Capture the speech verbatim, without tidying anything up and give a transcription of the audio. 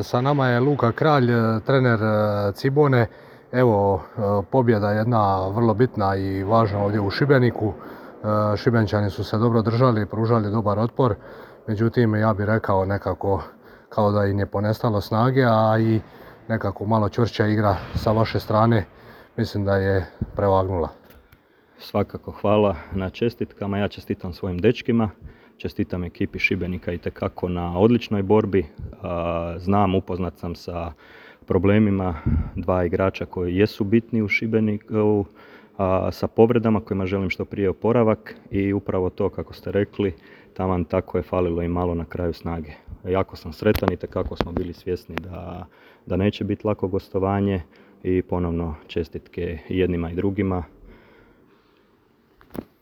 Sa nama je Luka Kralj, trener Cibone. Evo, pobjeda jedna vrlo bitna i važna ovdje u Šibeniku. Šibenčani su se dobro držali, pružali dobar otpor. Međutim, ja bih rekao nekako kao da im je ponestalo snage, a i nekako malo čvršća igra sa vaše strane mislim da je prevagnula. Svakako hvala na čestitkama, ja čestitam svojim dečkima, čestitam ekipi Šibenika itekako na odličnoj borbi. Znam, upoznat sam sa problemima dva igrača koji jesu bitni u Šibeniku, sa povredama kojima želim što prije oporavak i upravo to kako ste rekli, taman tako je falilo i malo na kraju snage. Jako sam sretan, itekako smo bili svjesni da, da neće biti lako gostovanje i ponovno čestitke jednima i drugima.